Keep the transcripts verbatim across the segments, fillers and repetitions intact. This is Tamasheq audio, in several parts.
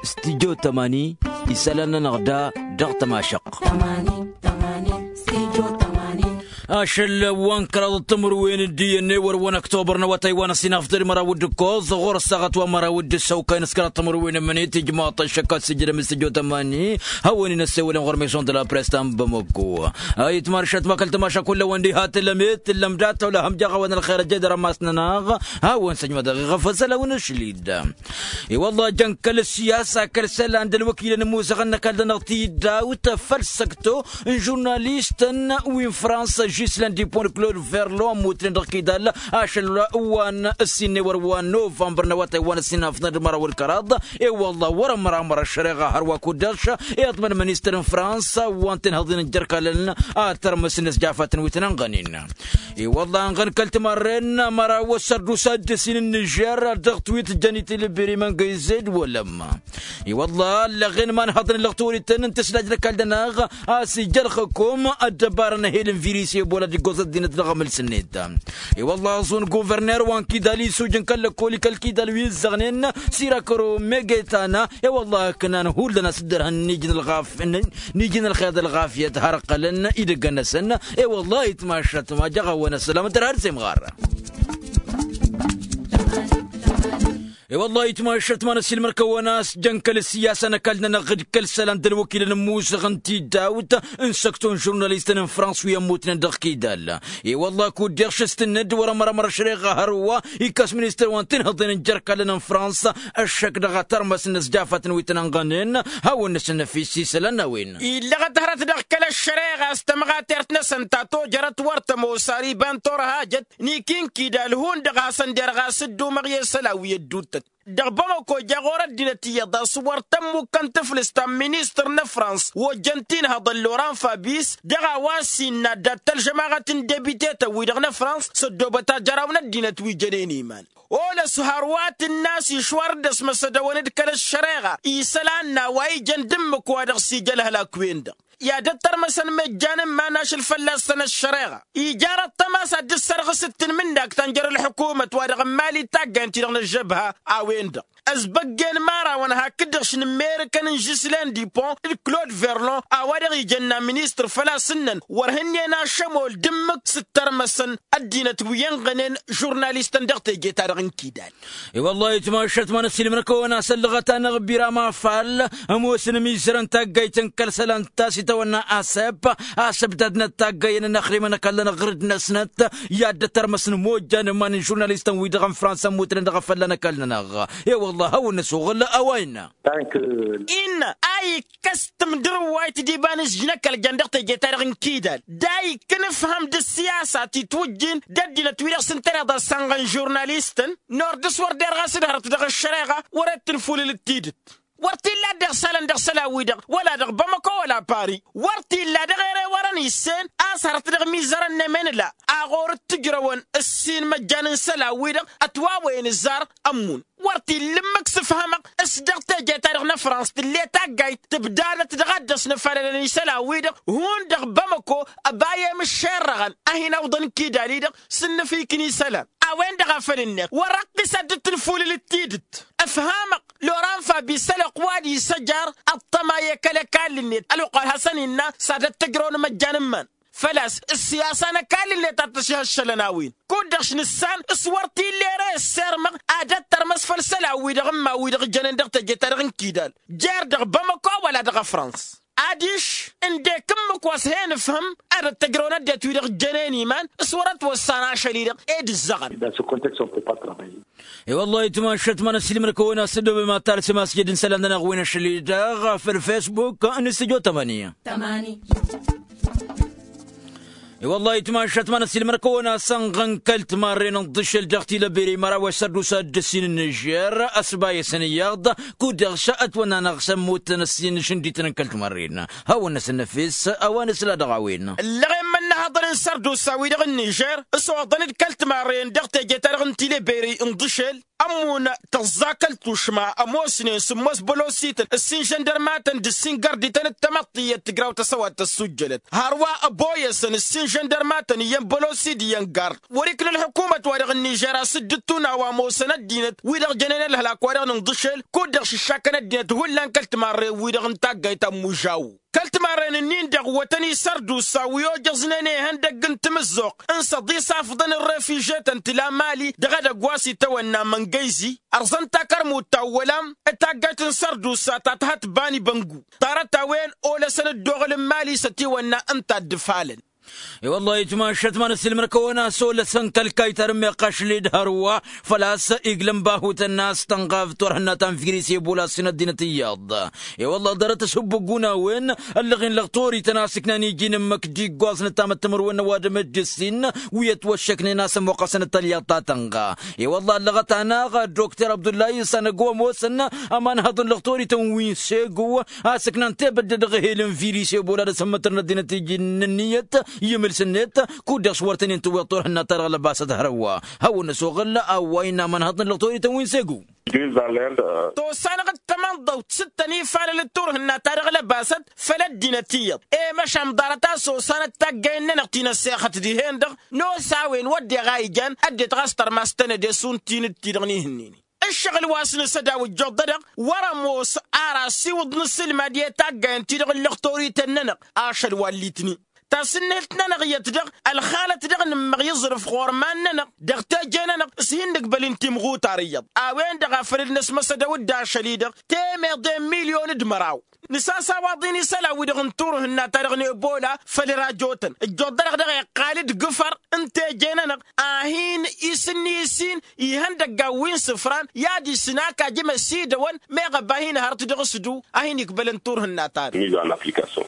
Studio tămani. Isălan-nănăɣ da dăɣ-tămašăɣt. Ašăl wa n-kăraḍ d-timǝrwen d-iyyăn ewăr wa n-ăktobăr n-awătay wa n-ăsinafḍăd măraw d-ǝkkoẓ ɣur-ăssaɣăt wa n-măraw d-ǝssăwkay n-s kăraḍ timǝrwen n-imǝnit ijmaḍ-t ăššăk ad-sǝjjǝdăm s-tijjo tămani. Hawăn-in-ăssewălăn ɣur-meson d-la press ta n-bamăko. Ayǝtmašat ma kăl-tămaša kull-awăn diha tǝllăm-e tǝllăm dat-tăw la hăm jaɣ-awăn ălxer ăjjed rămas-nănăɣ. Hawăn-săjmădăɣ iɣăf asăl-awăn ašli-dd. I-wălla jăn kăl-siyasa kăl-isălan d-ălwăkilăn ămoosăɣăn n-ăkall-nănăɣ tidawt făll-săkto n-žurnalistăn wi n-frans žislen dipon d-klod verlo ămmutnen dăɣ-kidal ašăl wa n-ǝssin n-ewăr wa n-novămbăr n-awătay wa n-ǝssin afḍăn d-măraw d-kăraḍ. I-wălla wăr-ămramăr ăššăreɣa hărwa kud-dăɣ-š iḍmăn ministăr n-frans wa n-tinhăḍin n-jărkalăn ad-tărmǝsnen s-jafatăn wi tăn-ănɣănen. I-wălla ănɣăn kăl-timarren măraw ăssărdusa d-ǝssin n-nižer dăɣ-twit jăn-i tilbiri măngăyzed wălăm. I-wălla ăllăɣen ma n-haḍăn ǝllăɣ tiwărităn n-tǝslaj n-ăkall-dănăɣ a-s ija ălxǝkum ăddăbarăn ehel n-virus ebola d-iggoẓ ăddinăt dăɣ-amǝls-net. I-wălla aẓun guverner wa n-kidal isujǝn kăl-lăkkoli kăl-kidal wi ǝzzăɣnen sirakăro megetana. I-wălla ǝknan hullan a-s dd-ărhăn n-ijǝn ălɣaf n-ijǝn ălxeḍ ălɣafyăt har ǝqqălăn idăggăn-năsăn. I-wălla ayǝtmašat ma jăɣ-awăn ăssălam d-ărhad s-imɣar. I-wălla ayǝtmašat ma n-ăssiilmăr-kăwăn a-s jăn kăl-ǝssiyasa n-ăkall-nănăɣ d-kăl-isălan d-ălwăkilăn ămmusăɣ n-tidawt n-săkto n-žurnalistăn n-frans wi ămmutnen dăɣ-kidal. I-wălla kud-deɣ šăstǝnnăd wăr-ămrămăr ăšreɣa hărwa ikkas ministăr wa n-tinhǝḍen n-jărkalăn n-frans ăššăk dăɣ-a tărmăsăn s-jafatăn wi tăn-ănɣănen. Hawăn-năsăn năfis isălan n-a-wen illăɣăt hărăt dăɣ-kăl-ăššăreɣa s-tămɣatert-năsăn ta tojărăt wăr tămoos ar iba n-torhajăt n-iki n-kidal hundăɣ hasăn-derɣ a-s dd-umăɣ i-isălan wi ădduuttăt. Dăɣ-bamăko ja ɣur-ăddinăt iyyăḍ a-s wăr tămmukkăn tǝflǝst ta n-ministăr n-ăfrans ojjăn tinhăḍăn loran fabis dăɣ-a-wa s-innă dat-tălžămaɣăt n-debitetăn-wi-dăɣ n-ăfrans s-ăddoobăt ajăraw n-ăddinăt wi jănen iman. Olăs hărwa tǝnn'-as išwar dd-ăsmăsădăwăn d-kăl-ăššăreɣa i-isălan n-a-wa ijăn d-ǝmmǝk-wa-dăɣ s-ija ălhălak-wen-dăɣ i-ad-ăttărmăsăn măjjan n-iman ašăl fălla-săn ăššăreɣa. Ija răṭṭăm a-s ad-dd-sărɣǝs d-tanmǝndakt ta n-jer-ălḥǝkumăt wa dăɣ-n mali taggayăn-ti-dăɣ n-ăžžăbha a-wen-dăɣ ăzbăggen imărawăn hakd-dăɣ š-nǝmmerǝkăn n-žislen dipon d-klod verlon a-wa dăɣ-ijănna ministăr făl-a-s ǝnnăn wăr hǝnnen ašămol d-ǝmmǝk s-ǝttărmăsăn ăddinăt wi ănɣănen žurnalistăn dăɣ-teje-ta-dăɣ n-kidal. I-wăllah itmašăt ma n-ăssiilmăr-kăwăn a-s ăllăɣăt-anăɣ biram afall ămoosăn imizărăn taggayt n-kăl-isălan ta s-itawănna asep a-s ǝbdadnăt taggayen n-ăxrimăn ăkall-nănăɣ ɣǝrǝd-năsnăt i-ad-dd-ăttărmăsăn mojjan iman n-žurnalistăn-wi-dăɣ n-fransa ămmutnen dăɣ-afălla n-ăkall-nănăɣ. I-wăllah a hawăn-năsuɣǝl a-wa innă. Innă a ikkăs timdǝrǝwwayt d-iba n-ǝzjǝnăkăl jăn dăɣ-teje-ta-dăɣ n-kidal d-a ikkăn ǝfhăm d-ǝssiyasa ti t-wǝjjin d-ăddinăt-wi-dăɣ s-ǝntăneḍ a-s ănɣăn žurnalistăn. Nor dăɣ-s wăr derɣ a-s dd-hărăt dăɣ-ăššăreɣa wăr-e d-tǝnfulǝl d-tidǝt. Wăr t-illa dd-iɣsalăn dăɣ-isălan-wi-dăɣ wăla dăɣ-bamăko wăla pari. Wăr t-illa dăɣ-ere wărăn issen a-s hărăt dăɣ-imizărăn n-emănǝla a ɣur-dd-tǝjrăwăn ǝssin măjjan n-isălan-wi-dăɣ ătwawăyăn ǝzzar. Ămmun wăr t-illa ǝmmǝk s-ǝfhămăɣ s-dăɣ teje-ta-dăɣ n-ăfrans tǝll'-e taggayt tǝbdadăt dăɣ-ad-dăɣ-s nǝfalălăn isălan-wi-dăɣ. Hundăɣ bamăko ăbayem ǝššerrăɣăn a hin-awǝḍăn kidal-i-dăɣ s-ǝnnǝfikǝn isălan. A-wen-dăɣ a făl ǝnneɣ wăr-ăqqis ad-dd-tǝnfulǝl d-tidǝt. Ǝfhamăɣ loran fabis ălwăqq wa d-isăjar ăṭṭăma i-kăl-ăkall-net ălwăqq wa d-hasăn-innă s-ad-ăttăjrăwăn măjjan n-iman. Făl-a-s ǝssiyasa n-ăkall-net a t-ăšhăššălăn a-wen kud-dăɣ š-nǝssan. S-wăr t-illa ere ăssirmăɣ ad-ăttărmăs făll-isălan-wi-dăɣ n-iman-wi-dăɣ ǝjjănen dăɣ-teje-ta-dăɣ n-kidal jer-dăɣ bamăko wăla dăɣ-ăfrans. Adiš ǝndek ǝmmǝk wa s-hen ǝfhǝm ad-ăttăjrăwăn ăddinăt-wi-dăɣ ǝjjănen iman. S-wăr-ătwăssan ašăl-i-dăɣ ed ǝzzăɣăn. I-wăllah itmašăt ma n-ăssiilmăr-kăwăn a-s dd-obem ad-talsem a-s jed-n-isălan-nănăɣ wi n-ašăl-i-dăɣ făll-fesbuk n-stujo tămani. I-wăllah itmašăt ma n-ăssiilmăr-kăwăn a-s ănɣăn kăl-timarren n-iḍǝšel dăɣ-tilăbere măraw s-ărdus ad-dd-ǝssin n-nižer ăsbayăsăn iyyăḍ. Kud-dăɣ s-ătwănn'-anăɣ s-ămmutăn ăssin n-išǝndităn n-kăl-timarren. Hawăn-năsăn năfes a-wa nǝsla dăɣ-a-wen. Ǝllăɣen mănna Ǝnnăhăḍăn n-sărdusa-wi-dăɣ n-nižer s-oḍăn-dd kăl-timarrăyăn dăɣ-teje-ta-dăɣ n-tileberi n-iḍǝšel. Ămmun tăẓẓa kăl-tušma ămoosnen sǝmmos bălosităn ǝssin žăndărmatăn d-ǝssin gărdităn d-tamăḍt iyyăt tigraw tăsăwat tăssujjălăt hărwa ăboyăsăn ǝssin žăndărmatăn iyyăn bălosid iyyăn gar. Wăr-ikna ălḥukumăt-wa-dăɣ n-nižer a-s dd-ǝttunaw a ămoosăn ăddinăt wi-dăɣ jănen ălhălak-wa-dăɣ n-inḍǝšel kud-dăɣ šǝššakăn ăddinăt hullan kăl-timarre-wi-dăɣ n-taggayt ta n-mužaw. Kăl-timarren-ǝnnin-dăɣ wătăn-i sărdusa wi ojăẓnen i-ihăndăgg n-timǝzzuɣt n-săḍisafḍăn n-refižetăn tǝla mali dăɣ-edăgg wa s-itawănna măngăyzi. Ărẓăn takărmut ta n-wălam d-taggayt n-sărdusa ta t-hătbani băngu ḍarăt-a-wen olăsăn dd-oɣǝl n-mali s-ătiwănna ǝnta a dd-ǝfalăn. I-wăllah itmašăt ma n-ăssiilmăr-kăwăn a-s olăsăn kăl-kayy ta d-ămmeɣ kašled hărwa făl-a-s iglăn bahutăn n-a-s tănɣav turhǝnna ta n-virus ebola s-in ăddinăt iyyăḍ. I-wăllah ḍarăt ăshubbăggun a-wen ăllăɣen lăɣtorităn a-s ǝknan iji n-ǝmmǝk d-iggoẓ n-ăttamăt timǝrwen n-ăwadǝm d-ǝssin wi ătwăššăknen a-s ămmuqqăsăn d-talyaḍt ta tănɣa. I-wăllah ăllăɣăt-anăɣ dokter abdullahi s-anăgg wa ămoosăn ămanhăḍ n-lăɣtorităn wi n-segu a-s ǝknan tebădde dăɣ-ehel n-virus ebola d-asǝmmǝtăr n-ăddinăt iji n-ǝnniyăt i-imǝls-net kud-dăɣ s-wăr tăn-in-tǝwweḍ turhǝnna-ta-dăɣ lăbasăt hărwa. Hawăn-năsoɣǝl a-wa innă ămanhăḍ n-lăɣtorităn wi n-segu. Tosanăɣ d-tamănḍăwt s-dd-tăn-ifalăl d-turhǝnna-ta-dăɣ lăbasăt făll-ăddinăt iyyăḍ i-măšan ḍarăt a-s osanăt taggăyăn-nănăɣ ti n-ăssexăt dihen-dăɣ. Nos a-wen wădden a ijan ăddinăt ɣas tărmas tănăde šund ti n-dd-ti-dăɣ n-ihǝnnin. Ǝššăɣǝl wa s-nǝsăd a-wa ǝjjuḍădăɣ wăr-ămoos ar asiwǝḍ n-asǝlmad i-taggayăn-ti-dăɣ n-lăxtorităn-nănăɣ. Ašăl wa ǝllitni tasǝnnǝhǝlt-nănăɣ iyyăt dăɣ-ălxalăt dăɣ-nǝmmăɣ iẓrǝf ɣur-iman-nănăɣ dăɣ-teje-nănăɣ s-hin-nǝgbăl n-timɣutar iyyăḍ. A-wen-dăɣ a făl dd-năsmăsădăw-dd ašăl-i-dăɣ temăḍe n-milyon d-măraw. Nǝsasaw aḍin isălan-wi-dăɣ n-turhǝnna-ta-dăɣ n-ebola făll-rajotăn ǝjjuḍ-dăɣ dăɣ-iqqal-dd gǝfăr n-teje-nănăɣ a hin-isǝnni isin ihăndăggan wi n-isǝfran i-ad-isǝn ak ajǝm ăsidăwăn. Meɣ ăba hin-hărăt dăɣ-s du a hin-ikbălăn turhǝnna-ta-dăɣ.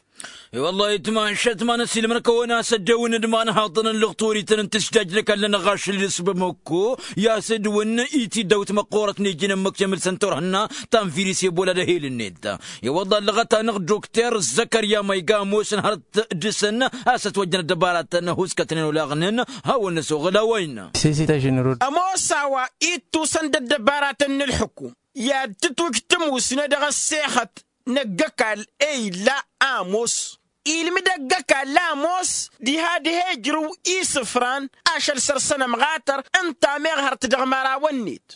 I-wăllah itmašăt ma n-ăsiilmăr-kăwăn a-s ăddewăn d-imanhaḍăn n-lăɣtorităn n-tǝsjaj n-ăkall-nănăɣ ašăl-i d-s bamăkko i-a-s ădwǝn i-tiddawt măqqoorăt n-iji n-ǝmmǝk temǝlsăn turhǝnna ta n-virus ebola d-ehel-net. I-wăllah ăllăɣăt-anăɣ dokter zăkărya ma iga ămoosăn hărăt dăr-săn a-s ătwăjjăn ăddăbaratăn ăhuskătnen olaɣnen. Hawăn-năsoɣăl a-wa innă. Ămoos a-wa ittusăn d-ăddăbaratăn n-ǝlḥǝkum i-ad-tǝtwǝj tǝmusne dăɣ-ăssexăt n-ăgg-ăkall. E illa ămoos ilmǝd ăgg-ăkall ămoos diha diha ijrǝw isǝfran ašăl săr-săn ămɣatăr ǝnta meɣ hărăt dăɣ-imărawăn-net.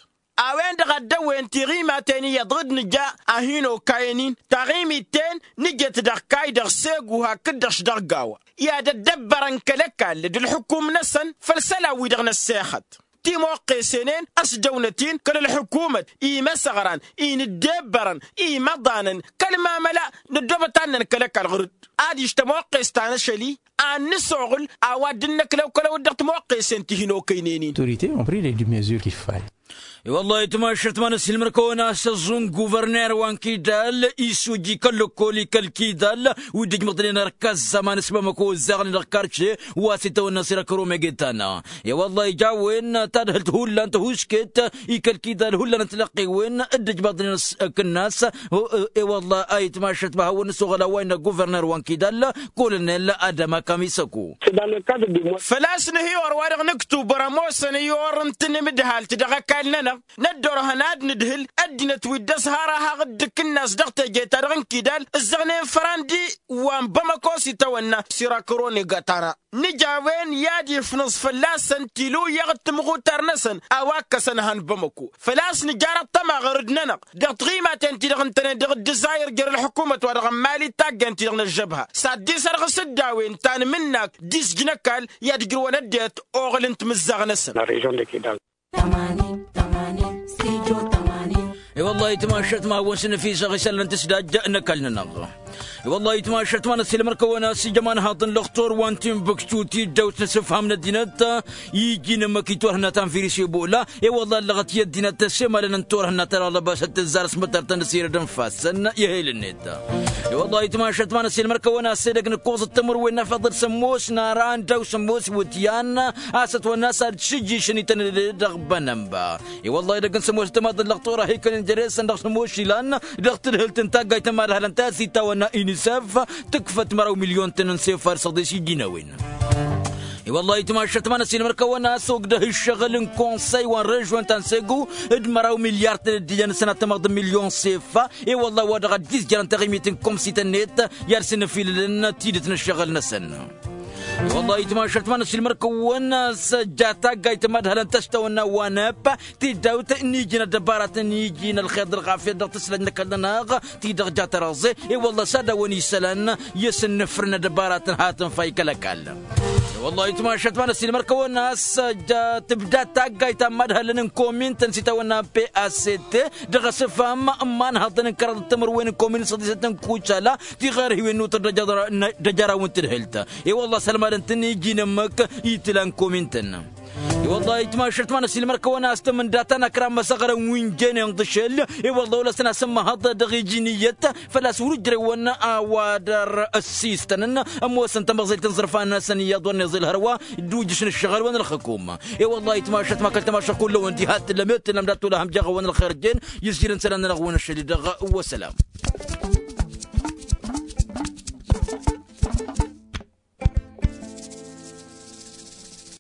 A-wen-dăɣ a dd-ăwwen tiɣimaten iyyăḍ dd-nǝja a hin-okayăn-in taɣimit-ten nǝjet dăɣ-kayy dăɣ-segu hakd-dăɣ s-dăɣ gawa i-ad-ăddăbbărăn kăl-ăkall d-ǝlxǝkum-năsăn făll-isălan-wi-dăɣ n-ăssexăt. Timoqqesen-en ăsdăwnăt-in kăl-ǝlxǝkumăt imăsăɣran inǝddebbărăn imăḍanăn kăl-mamăla. Nǝddoobăt ad-năn kăl-ăkall ɣur-dd adiš tămoqqest ta n-ašăl-i ad-nǝsoɣǝl a-wa dd-năklăw kălăw-dd dăɣ-timoqqesen ti hin-okăynen-in. Autorites ont pris les mesures qu'il fallait. I-wăllah itmašăt ma n-ăssiilmăr-kăwăn a-s ăẓẓun guverner wa n-kidal isuji kăl-lăkkol i-kăl-kidal wi dd-ǝjmăḍnen ărkăz aman s-bamăko ǝzzaɣnen dăɣ-karše wa s-itawănna s-irakăro megetana. I-wăllah ija a-wen tadhǝlt hullan tăhušket i-kăl-kidal hullan n-tilăqqiwen dd-ǝjmăḍnen s-kǝnnas. I-wăllah a itmašăt ma hawăn-nǝsoɣăl a-wa innă guverner wa n-kidal kolonel adama kamisăko. Făl-a-s nǝhiwăr wa-dăɣ n-ǝktubăr ămoosăn i-orăn tǝnǝmdăhalt dăɣ-ăkall-nănăɣ năddorhăn ad-nǝdhǝl ăddinăt wi dd-ăsharahaɣ d-ǝkǝnnas dăɣ-teje-ta-dăɣ n-kidal ǝzzăɣnen fărandi wa n-bamăko s-itawănna s-irakăro negatana. Nǝja a-wen i-ad-ifnǝẓ fălla-săn tilǝwyaɣ d-timɣutar-năsăn a-wa ǝkkăsăn han bamăko. Făl-a-s nǝjar ăṭṭăma ɣur-dd-nănăɣ dăɣ-tiɣimaten-ti-dăɣ ǝntănen dăɣ-dd-ǝzzayăr jer-ălḥukumăt-wa-dăɣ n-mali d-taggayăn-ti-dăɣ n-ăžžăbha s-ad-dd-isărɣǝs dd-a-wen tanmǝnnak d-isjǝn ăkall i-ad-ǝjrǝwăn ăddinăt oɣǝl n-timǝzzaɣ-năsăn. I-wăllah itmašăt ma hawăn-săn ăfisăɣ isălan n-tǝsdajja n-ăkall-nănăɣ. I-wăllah itmašăt ma n-ăssiilmăr-kăwăn a-s ija ămanhaḍ n-lăxtor wa n-timbuktu tiddawt n-asǝfham n-ăddinăt iji n-ǝmmǝk i-turhǝnna ta n-virus ebola. I-wăllah ăllăɣăt i-ăddinăt ăssemalăn n-turhǝnna ta dăɣ-lăbasăt tǝzzar s-mătăr-tăn s-irăd ǝnfasăn i-ehel-net. I-wăllah itmašăt ma n-ăssiilmăr-kăwăn a-s edăgg n-ǝkkoẓăt timǝrwen n-afăḍăl sămoos n-ara ăndaw sămoos iwǝtyan a-s ătwănna a-s ad-šǝjjǝšăn itănăde dăɣ-bănănba. I-wăllah edăgg n-sămoos d-tămaḍ n-lăxtor a hikănen jere-săn dăɣ-sămoos ilan dăɣ-tadhǝlt n-taggayt ta n-imadhalăn ta s-itawănna inisef tǝkfăt măraw milyon-tăn n-sefar săḍis iji n-a-wen. I-wăllah itmašăt ma n-ăsiilmăr-kăwăn a-s ogdăh ǝššăɣǝl n-konsăy wa n-režyon ta n-segu d-măraw milyar-tăn ăddinăn sănatămăɣ d-milyon s-effa. I-wăllah wa dăɣ-ăddiizjărăn taɣimit n-komsităn-net i-ad-sǝnnǝfilǝlăn tidǝt n-ǝššăɣǝl-năsăn. I-wăllah itmašăt ma n-ăsiilmăr-kăwăn a-s ăjja taggayt ma d-hălăn tăštawănna wa n-eppa tidawt n-iji n-ăddăbaratăn iji n-ălxer d-ălɣafyăt dăɣ-tǝslăj n-ăkall-nănăɣ ti-dăɣ ja tărăẓe. I-wălla s-ad-dăwăn isălan i-asǝnnǝfrǝn ăddăbaratăn hatăn fay kăl-ăkall. I-wălla itmašăt ma n-ăsiilmăr-kăwăn a-s tǝbda taggayt ta n-imadhălăn n-komin-tăn s-itawănna n-pact dăɣ-asǝfam n-imanhăḍăn n-kăraḍ d-timǝrwen n-komin n-săḍisăt n-kucala ti ɣer hiwen n-utăr d-ajăraw n-tǝdhǝlt. I-wălla s-ălmadăn-tăn iji n-ǝmmǝk itǝla n-komin-tăn. I-wăllah itmašăt ma n-ăsiilmăr-kăwăn a-s tămǝnda ta n-akra n-măsăɣrăn wi n-jennen d-ašăl. I-wăllah wăla s-tăn-asǝmmăhăḍ dăɣ-iji n-iyyăt făl-a-s wăr-ǝjrewăn a-wa dăr-ăssiistănăn ămoosăn tamăẓelt n-iẓrǝfan-năsăn iyyăḍ wăr n-iẓil hărwa d-ujǝš n-ǝššăɣǝl wa n-ălxǝkum. I-wăllah itmašăt ma kăl-tamašăɣ kull-ăwăn diha t-tǝllăm i-t-tǝllăm dat-tolaha ămjăɣ-awăn ălxer jen izjirăn isălan-nănăɣ-wăn ašăl-i-dăɣ. Wăssălam.